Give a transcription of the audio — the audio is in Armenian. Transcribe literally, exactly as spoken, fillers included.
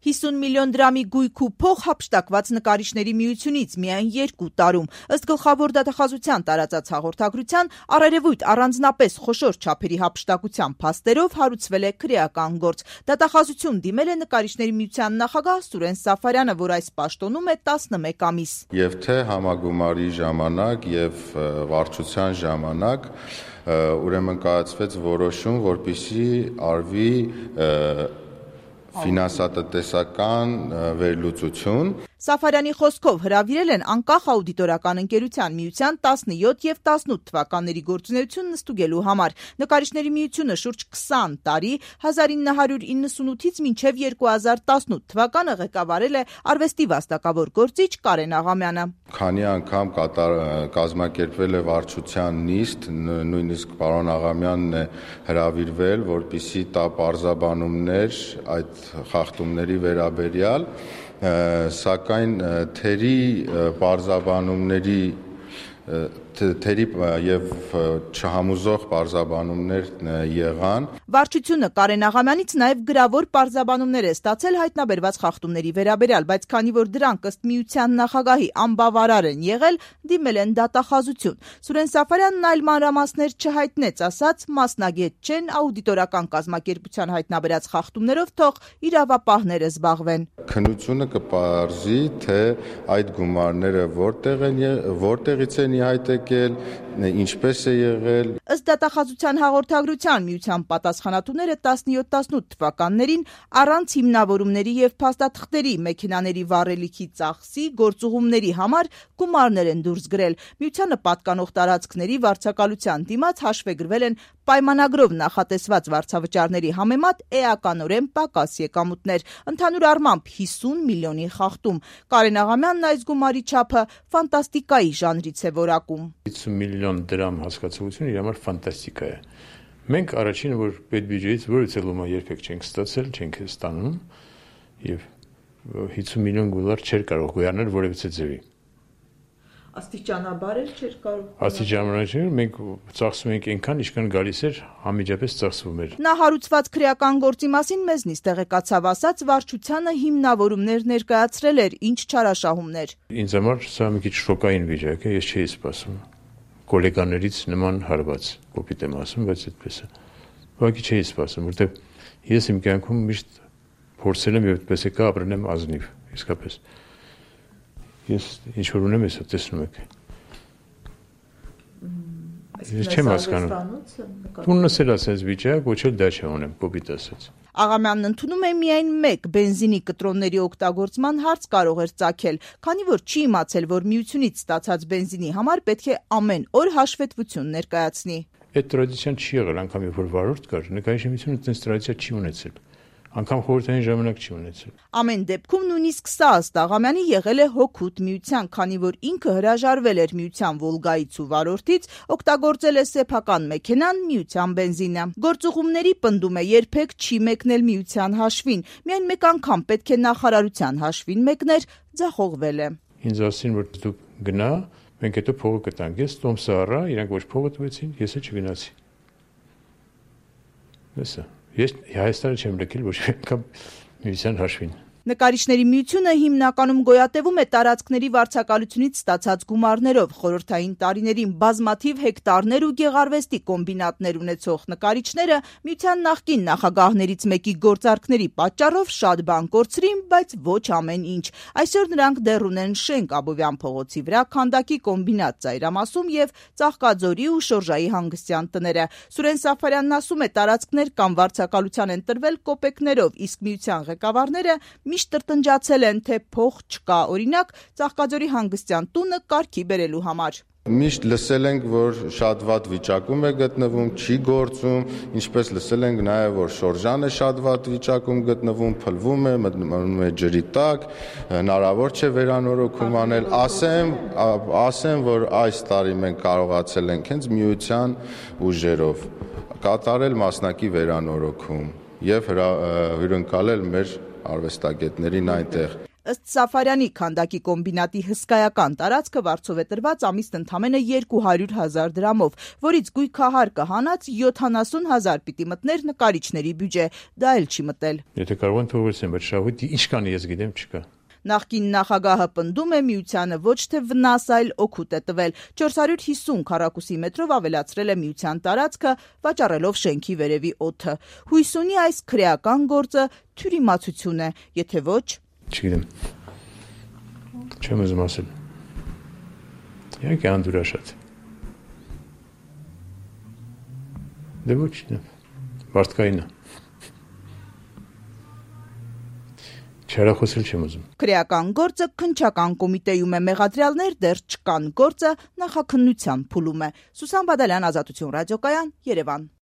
հիսուն միլիոն դրամի գույք ու փող հափշտակված նկարիչների միությունից միայն երկու տարում։ Ըստ գլխավոր դատախազության տարածած հաղորդագրության, առերևույթ առանձնապես խոշոր չափերի հափշտակության փաստերով հարուցվել է քրեական գործ։ Դատախազություն դիմել է նկարիչների միության նախագահ Սուրեն Սաֆարյանը, որ այս պաշտոնում է տասնմեկ ամիս։ Եվ թե համագումարի ժամանակ եւ վարչության ժամանակ ուրեմն կայացվեց որոշում, որպեսզի արվի ֆինանսատնտեսական վերլուծություն։ Սաֆարյանի խոսքով հրավիրել են անկախ աուդիտորական ընկերության միության տասնյոթ եւ տասնութ թվականների գործունեությունն ստուգելու համար։ Նկարիչների միությունը շուրջ քսան տարի հազար ինը հարյուր իննսունութից մինչև երկու հազար տասնութ թվականը ղեկավարել է արվեստի վաստակավոր գործիչ Կարեն Աղամյանը։ Քանի անգամ կատար կազմակերպվել է վարչության նիստ, նույնիսկ պարոն Աղամյանն է հրավիրվել, որպեսզի տա պարզաբանումներ այդ խախտումների վերաբերյալ, սակայն թերի պարզաբանումների թերի եւ չհամոզող պարզաբանումներ եղան։ Վարչությունը Կարեն Աղամյանից նաեւ գրավոր պարզաբանումներ է ստացել հայտնաբերված խախտումների վերաբերյալ, բայց քանի որ դրանք ըստ միության նախագահի անբավարար են եղել, դիմել են դատախազություն։ Սուրեն Սաֆարյանն այլ մանրամասներ չհայտնեց, ասաց մասնագետ չեն, աուդիտորական կազմակերպության հայտնաբերած խախտումներով թող իրավապահները զբաղվեն։ Քննությունը կպարզի, թե այդ գումարները որտեղ են, որտեղից են իհայտ եկել, ինչպես է եղել։ Ըստ դատախազության հաղորդագրության միության պատասխանատուները տասնյոթ տասնութ թվականներին առանց հիմնավորումների եւ փաստաթղթերի մեքենաների վառելիքի ծախսի գործուղումների համար գումարներ են դուրս գրել։ Միությանը պատկանող տարածքների վարձակալության դիմաց հաշվեգրվել են պայմանագրով նախատեսված վարձավճարների համեմատ էականորեն պակաս եկամուտներ, ընդհանուր առմամբ հիսուն միլիոնի խախտում։ Կարեն Աղամյանն այս գումարի չափը ֆանտաստիկայի ժանրից է որակում։ հիսուն միլիոն դրամ հասկացողությունը իր համար ֆանտաստիկա է։ Մենք առաջինը, որ պետբյուջեից որևէ լոմա երբեք չենք ստացել, չենք ստանում եւ հիսուն միլիոն դոլար չէր կարող գոյանալ որևէ ձևի։ Աստիճանաբար էլ չէր կարող։ Աստիճանաբար մենք ծախսում ենք այնքան, ինչքան գալիս էր, համիջապես ծախսվում էր։ Նա հարուցված քրեական գործի մասին մեզնից տեղեկացավ, ասաց վարչությանը հիմնավորումներ ներկայացրել էր, ինչ չարաշահումներ։ Ինձ համար սա մի քիչ շոկային վիճակ է, ես չէի սպասում։ Գոլեգաներից նման հարված, կոպիտ եմ ասում, բայց այդպես է։ Ուղղակի չէի սպասում, որտեղ ես իմ կյանքում միշտ փորձել եմ եւ այդպես է կա ապրել եմ ազնիվ, իսկապես։ Ես ինչ որ ունեմ, ես տեսնում եք։ Ես չեմ հասկանում։ Տունս էլ ասես վիճակ, ոչ էլ դա չունեմ, կոպիտ ասած։ Աղամյանն ընդունում է միայն մեկ բենզինի կտրոնների օգտագործման հարց կարող էր ծագել, քանի որ չի իմացել, որ միությունից ստացած բենզինի համար պետք է ամեն օր հաշվետվություն ներկայացնի։ Այդ տրադիցիան չի եղել, անգամ երբ որ վարորդ կար, նկարիչի միությունը այդպես տրադիցիա չի ունեցել։ Անկամ խորհրդային ժամանակ չի ունեցել։ Ամեն դեպքում նույնիսկ սա ըստ Աղամյանի եղել է հօգուտ միության, քանի որ ինքը հրաժարվել էր միության Վոլգայից ու վարորդից, օգտագործել է սեփական մեքենան, միության բենզինը։ Գործուղումների պնդում է երբեք չի մեկնել միության հաշվին, միայն մեկ անգամ պետք է նախարարության հաշվին մեկներ, ձախողվել է։ Ինձ ասին, որ դու գնա, մենք հետո փողը կտանք։ Ես տոմսը առա, իրանք ոչ փողը տվեցին, ես էլ չգնացի։ Դեսա Ես Հայաստանը չեմ լքել ոչ մի անգամ միության հաշվին։ Նկարիչների միությունը հիմնականում գոյատևում է տարածքների վարձակալությունից ստացած գումարներով, խորհրդային տարիներին բազմաթիվ հեկտարներ ու գեղարվեստի կոմբինատներ ունեցող նկարիչները միության նախկին նախագահներից մեկի գործարքների պատճառով շատ բան կորցրին, բայց ոչ ամեն ինչ։ Այսօր նրանք դեռ ունեն շենք Աբովյան փողոցի վրա, քանդակի կոմբինատ Ծայրամասում եւ Ծաղկաձորի ու Շորժայի հանգստյան տները։ Սուրեն Սաֆարյանն ասում է, տարածքներ կամ վարձակալության են տրվել կոպեկներով, իսկ միության ղեկավարները միշտ տրտնջացել են, թե փող չկա, օրինակ Ծաղկաձորի հանգստյան տունը կարգի բերելու համար։ Միշտ լսել ենք, որ շատ վատ վիճակում է գտնվում, չի գործում, ինչպես լսել ենք նաև, որ Շորժանը շատ վատ վիճակում գտնվում, փլվում է, մտնում է ջրի տակ, հնարավոր չէ վերանորոգում անել։ Ասեմ, ասեմ, որ այս տարի մենք կարողացել ենք հենց միության ուժերով կատարել մասնակի վերանորոգում եւ հյուրընկալել մեր արվեստագետներին այնտեղ։ Ըստ Սաֆարյանի, քանդակի կոմբինատի հսկայական տարածքը վարձով է տրված ամիստ ընդամենը երկու հարյուր հազար դրամով, որից գույքահարկը հանած յոթանասուն հազար պիտի մտներ նկարիչների բյուջե, դա էլ չի մտել։ Եթե կարող են թողեցին, բայց շահույթ ինչ կան ես գիտեմ չկա։ Նախկին նախագահը պնդում է միությանը ոչ թե վնաս, այլ օգուտ է տվել։ չորս հարյուր հիսուն քառակուսի մետրով ավելացրել է միության տարածքը, վաճառելով շենքի վերևի օդը։ Հույս ունի այս քրեական գործը թյուրիմացություն է, եթե ոչ… Չգիտեմ։ Չեմ ուզում ասել։ Իհարկե անդուրաշատ։ Դե ոչ, մարդկային է։ Չարախոսել չեմ ուզում։ Քրեական գործը քննչական կոմիտեում է, մեղադրյալներ դեռ չկան, գործը նախաքննության փուլում է։ Սուսան Բադալյան, Ազատություն ռադիոկայան, Երևան։